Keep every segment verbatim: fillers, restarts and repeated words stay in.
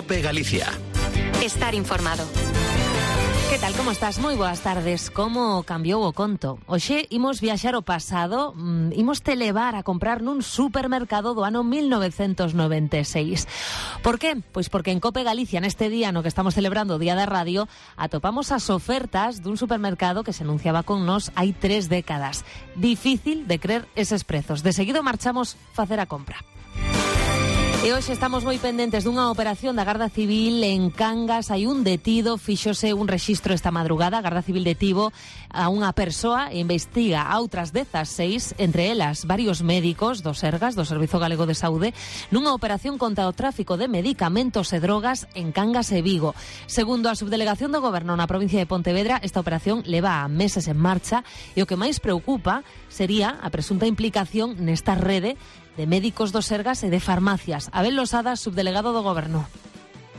COPE Galicia. Estar informado. Que tal, como estás? Moi boas tardes. Como cambiou o conto? Hoxe imos viaxar ao pasado, mm, imos te levar a comprar nun supermercado do ano mil novecentos noventa e seis. Por qué? Pois porque en COPE Galicia, neste día no que estamos celebrando o Día da Radio, atopamos as ofertas dun supermercado que se anunciaba con nós hai tres décadas. Difícil de creer eses prezos. De seguido marchamos facer a compra. E hoxe estamos moi pendentes dunha operación da Garda Civil en Cangas. Hai un detido, fíxose un rexistro esta madrugada. A Garda Civil detivo a unha persoa e investiga a outras dezasseis, entre elas varios médicos do Sergas, do Servizo Galego de Saúde, nunha operación contra o tráfico de medicamentos e drogas en Cangas e Vigo. Segundo a subdelegación do Goberno na provincia de Pontevedra, esta operación leva a meses en marcha e o que máis preocupa sería a presunta implicación nesta rede de médicos do Sergas e de farmacias. Abel Losada, subdelegado do Goberno.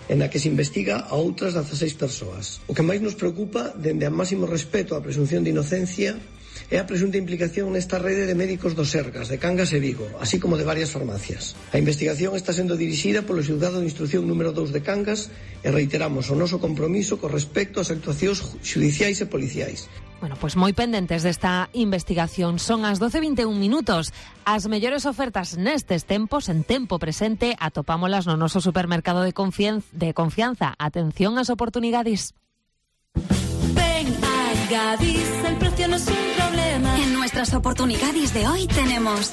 En a que se investiga a outras dezasseis persoas. O que máis nos preocupa, dende a máximo respeto á presunción de inocencia, é a presunta implicación nesta rede de médicos do Sergas, de Cangas e Vigo, así como de varias farmacias. A investigación está sendo dirixida polo xulgado de instrucción número dous de Cangas e reiteramos o noso compromiso con respecto ás actuacións xudiciais e policiais. Bueno, pois moi pendentes desta investigación. Son as doce e vinte e un minutos. As mellores ofertas nestes tempos, en tempo presente, atopámolas no noso supermercado de, confianza, de confianza. Atención ás oportunidades. Ven a Gadis, el precio no es un problema. En nuestras oportunidades de hoy tenemos...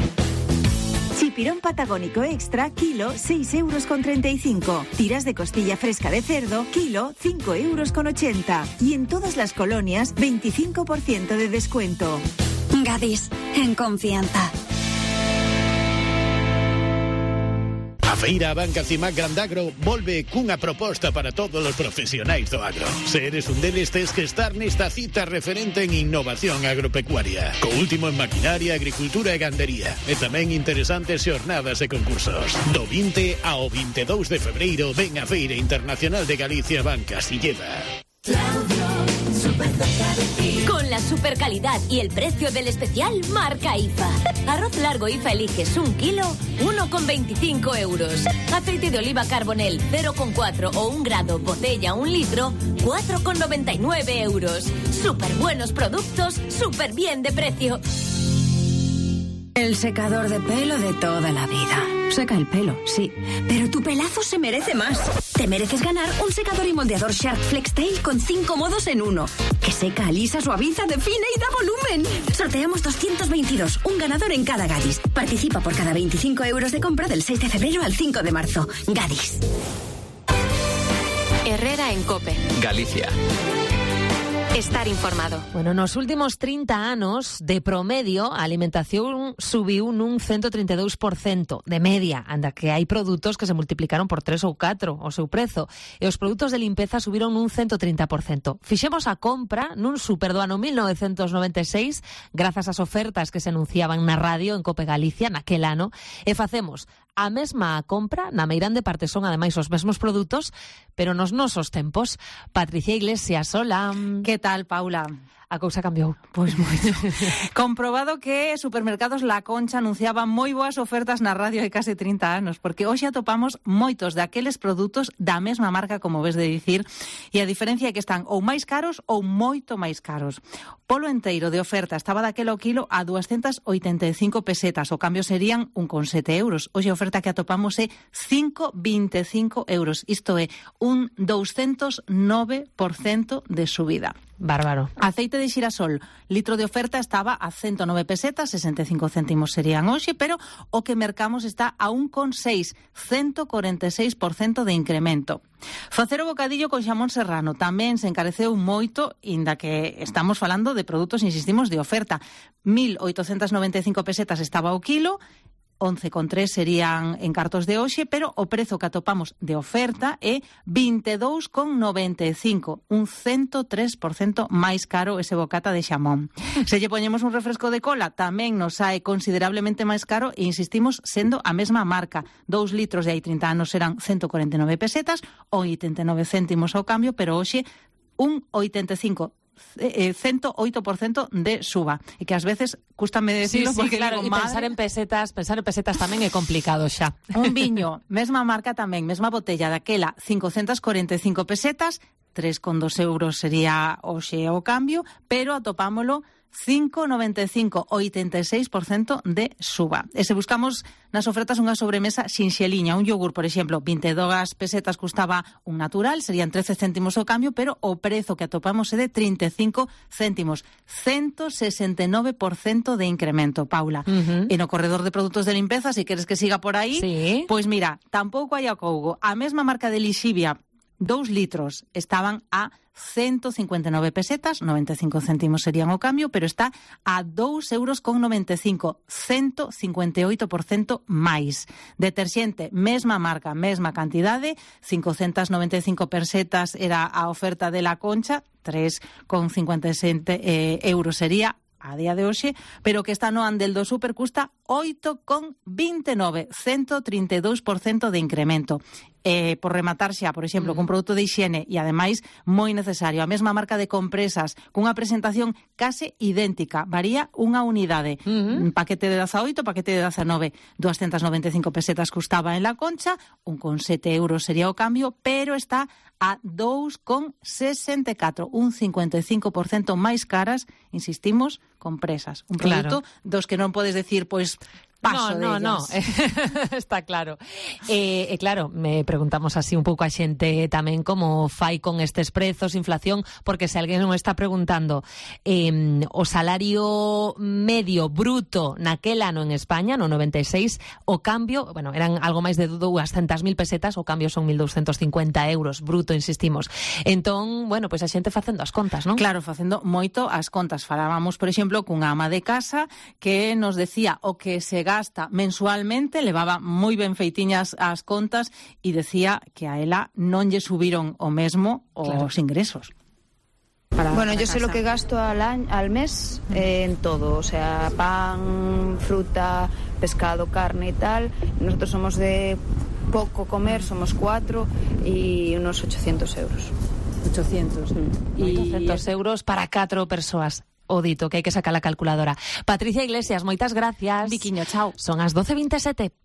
Chipirón patagónico extra, kilo, seis euros con treinta y cinco. Tiras de costilla fresca de cerdo, kilo, cinco euros con ochenta. Y en todas las colonias, veinticinco por ciento de descuento. Gadis, en confianza. A Feira Banca Cimac Grandagro volve cunha proposta para todos os profesionais do agro. Se eres un deles, tes que estar nesta cita referente en innovación agropecuaria, co último en maquinaria, agricultura e gandería, e tamén interesantes xornadas e concursos. Do vinte ao vinte e dous de febreiro ven a Feira Internacional de Galicia Banca Silleda. Con la super calidad y el precio del especial, marca I F A. Arroz largo I F A eliges un kilo, uno con veinticinco euros. Aceite de oliva Carbonell cero con cuatro o un grado, botella un litro, cuatro con noventa y nueve euros. Súper buenos productos, súper bien de precio. El secador de pelo de toda la vida. Seca el pelo, sí, pero tu pelazo se merece más. Te mereces ganar un secador y moldeador Shark FlexTail con cinco modos en uno. Que seca, alisa, suaviza, define y da volumen. Sorteamos doscientos veintidós, un ganador en cada Gadis. Participa por cada veinticinco euros de compra del seis de febrero al cinco de marzo. Gadis. Herrera en COPE. Galicia. Estar informado. Bueno, nos últimos trinta anos, de promedio, a alimentación subiu nun ciento treinta e dous por cento de media, anda que hai produtos que se multiplicaron por tres ou catro o seu prezo, e os produtos de limpeza subiron nun ciento trinta por cento. Fixemos a compra nun super do ano mil novecentos noventa e seis, grazas ás ofertas que se anunciaban na radio en COPE Galicia naquel ano, e facemos a mesma compra, na meirande parte son ademais os mesmos produtos, pero nos nosos tempos. Patricia Iglesias, hola. Que tal, Paula? A cousa cambiou. Pois moito. Comprobado que Supermercados La Concha anunciaba moi boas ofertas na radio hai case trinta anos, porque hoxe atopamos moitos daqueles produtos da mesma marca, como ves de dicir, e a diferencia é que están ou máis caros ou moito máis caros. Polo enteiro de oferta estaba daquelo kilo a doscientas oitenta e cinco pesetas, o cambio serían un con sete euros. Hoxe a oferta que atopamos é cinco con vinte e cinco euros, isto é, un doscientos nove por cento de subida. Bárbaro. Aceite de xirasol, litro de oferta estaba a ciento nove pesetas, sesenta e cinco céntimos serían hoxe, pero o que mercamos está a un con seis, ciento cuarenta e seis por cento de incremento. Facer o bocadillo con xamón serrano tamén se encareceu moito, inda que estamos falando de produtos, insistimos, de oferta. mil oitocentas noventa e cinco pesetas estaba o kilo, once con tres serían en cartos de hoxe, pero o prezo que atopamos de oferta é vinte e dous con noventa e cinco, un ciento tres por cento máis caro ese bocata de xamón. Se lle poñemos un refresco de cola, tamén nos sae considerablemente máis caro e insistimos sendo a mesma marca. Dous litros de hai trinta anos eran ciento cuarenta e nove pesetas, oitenta e nove céntimos ao cambio, pero hoxe un oitenta e cinco eh, ciento ocho por ciento de suba. E que ás veces, cústame decirlo, sí, sí, porque claro, digo, e madre... pensar en pesetas, pensar en pesetas tamén é complicado xa. Un viño, mesma marca tamén, mesma botella daquela, cincocentas cuarenta e cinco pesetas, tres con dos euros sería hoxe o cambio, pero atopámolo cinco noventa e cinco, oitenta e seis por ciento de suba. E se buscamos nas ofertas unha sobremesa sinxeliña, un yogur, por exemplo, vinte e dúas pesetas custaba un natural, serían trece céntimos o cambio, pero o prezo que atopamos é de trinta e cinco céntimos, ciento sesenta e nove por ciento de incremento, Paula. Uh-huh. E no corredor de produtos de limpeza, se si queres que siga por aí, sí. Pois mira, tampouco hai acougo. A mesma marca de Lixivia, dous litros, estaban a ciento cincuenta e nove pesetas, noventa e cinco céntimos serían o cambio, pero está a dous euros con noventa e cinco, ciento cincuenta e oito por ciento máis. Deterxente, mesma marca, mesma cantidade, cincocentas noventa e cinco pesetas era a oferta de La Concha, tres con cincuenta e sete eh, euros sería a día de hoxe, pero que está no Andel do Super custa oito con vinte e nove, ciento trinta e dous por ciento de incremento. Eh, por rematar xa, por exemplo, mm. cun produto de hixiene e ademais moi necesario, a mesma marca de compresas, cunha presentación case idéntica, varía unha unidade, mm-hmm. un paquete de dezaoito, paquete de dezanove, doscientas noventa e cinco pesetas custaba en La Concha, un con sete euros sería o cambio, pero está a dous con sesenta e catro, un cincuenta e cinco por ciento máis caras, insistimos, compresas. Un produto claro. dos que non podes decir, pois, paso no, no, de no, está claro. E, eh, claro, me preguntamos así un pouco a xente tamén como fai con estes prezos, inflación, porque se alguén non está preguntando eh, o salario medio bruto naquel ano en España, no noventa e seis, o cambio, bueno, eran algo máis de doscientas mil pesetas, o cambio son mil doscientos cincuenta euros bruto, insistimos. Entón, bueno, pois pues a xente facendo as contas, non? Claro, facendo moito as contas. Falábamos, por exemplo, cunha ama de casa que nos decía o que se gasta mensualmente, levaba moi ben feitiñas as contas e decía que a ela non lle subiron o mesmo os claro. ingresos. Para bueno, yo sé lo que gasto al, año, al mes eh, en todo, o sea, pan, fruta, pescado, carne y tal. Nosotros somos de poco comer, somos cuatro y unos ochocientos euros. ochocientos. Mm. Y ochocientos euros para catro persoas. O dito, que hai que sacar a calculadora. Patricia Iglesias, moitas gracias. Viquiño, chao. Son as doce veintesete.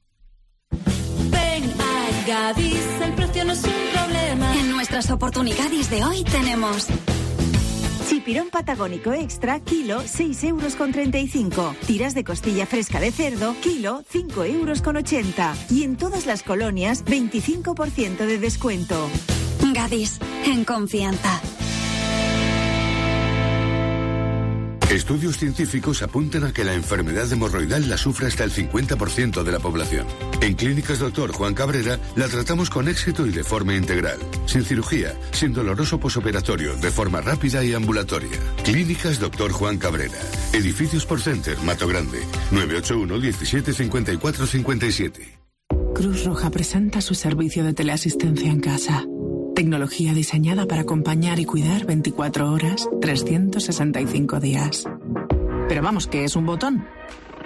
Ven a Gadis, el precio no es un problema. En nuestras oportunidades de hoy tenemos... Chipirón patagónico extra, kilo, seis euros con treinta y cinco. Tiras de costilla fresca de cerdo, kilo, cinco euros con ochenta. Y en todas las colonias, veinticinco por ciento de descuento. Gadis, en confianza. Estudios científicos apuntan a que la enfermedad hemorroidal la sufre hasta el cincuenta por ciento de la población. En Clínicas Doctor Juan Cabrera la tratamos con éxito y de forma integral, sin cirugía, sin doloroso posoperatorio, de forma rápida y ambulatoria. Clínicas Doctor Juan Cabrera. Edificios por Center, Mato Grande. nueve ocho uno, diecisiete, cincuenta y cuatro, cincuenta y siete. Cruz Roja presenta su servicio de teleasistencia en casa. Tecnología diseñada para acompañar y cuidar veinticuatro horas, trescientos sesenta y cinco días. Pero vamos, ¿qué es un botón?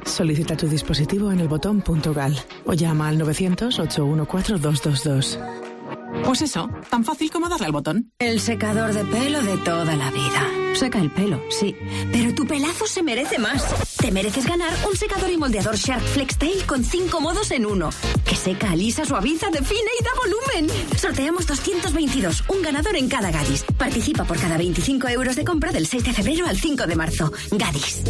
Solicita tu dispositivo en el botón punto gal o llama al novecientos, ochocientos catorce, doscientos veintidós. Pues eso, tan fácil como darle al botón. El secador de pelo de toda la vida. Seca el pelo, sí, pero tu pelazo se merece más. Te mereces ganar un secador y moldeador Shark FlexTail con cinco modos en uno. Que seca, alisa, suaviza, define y da volumen. Sorteamos doscientos veintidós, un ganador en cada Gadis. Participa por cada veinticinco euros de compra del seis de febrero al cinco de marzo. Gadis.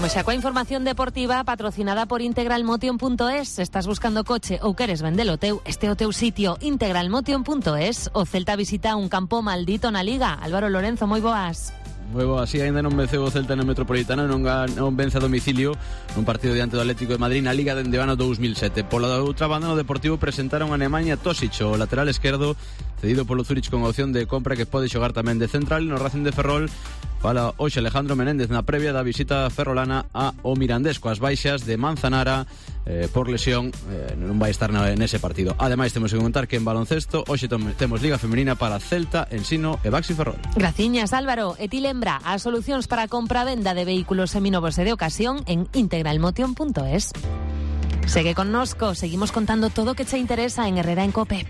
Como xa coa información deportiva patrocinada por integralmotion punto es. Estás buscando coche ou queres vendelo teu, este é o teu sitio, integralmotion punto es. O Celta visita un campo maldito na Liga. Álvaro Lorenzo, moi boas. Moi boa, así ainda non venceu o Celta no Metropolitano, non, non vence a domicilio nun partido diante do Atlético de Madrid na Liga dende o ano dous mil sete. Pola outra banda, no Deportivo presentaron a Nemanja Tosic, o lateral esquerdo cedido polo Zurich con opción de compra, que pode xogar tamén de central. No Racing de Ferrol fala hoxe Alejandro Menéndez na previa da visita ferrolana a o Mirandés, coas baixas de Manzanara eh, por lesión, eh, non vai estar na, nese partido. Ademais, temos que contar que en baloncesto hoxe temos Liga Femenina para Celta, Ensino e Baxi Ferrol. Graciñas, Álvaro. E ti lembra as solucións para a compra-venda de vehículos seminovos e de ocasión en integralmotion punto es. Segue connosco, seguimos contando todo o que che interesa en Herrera en Cope.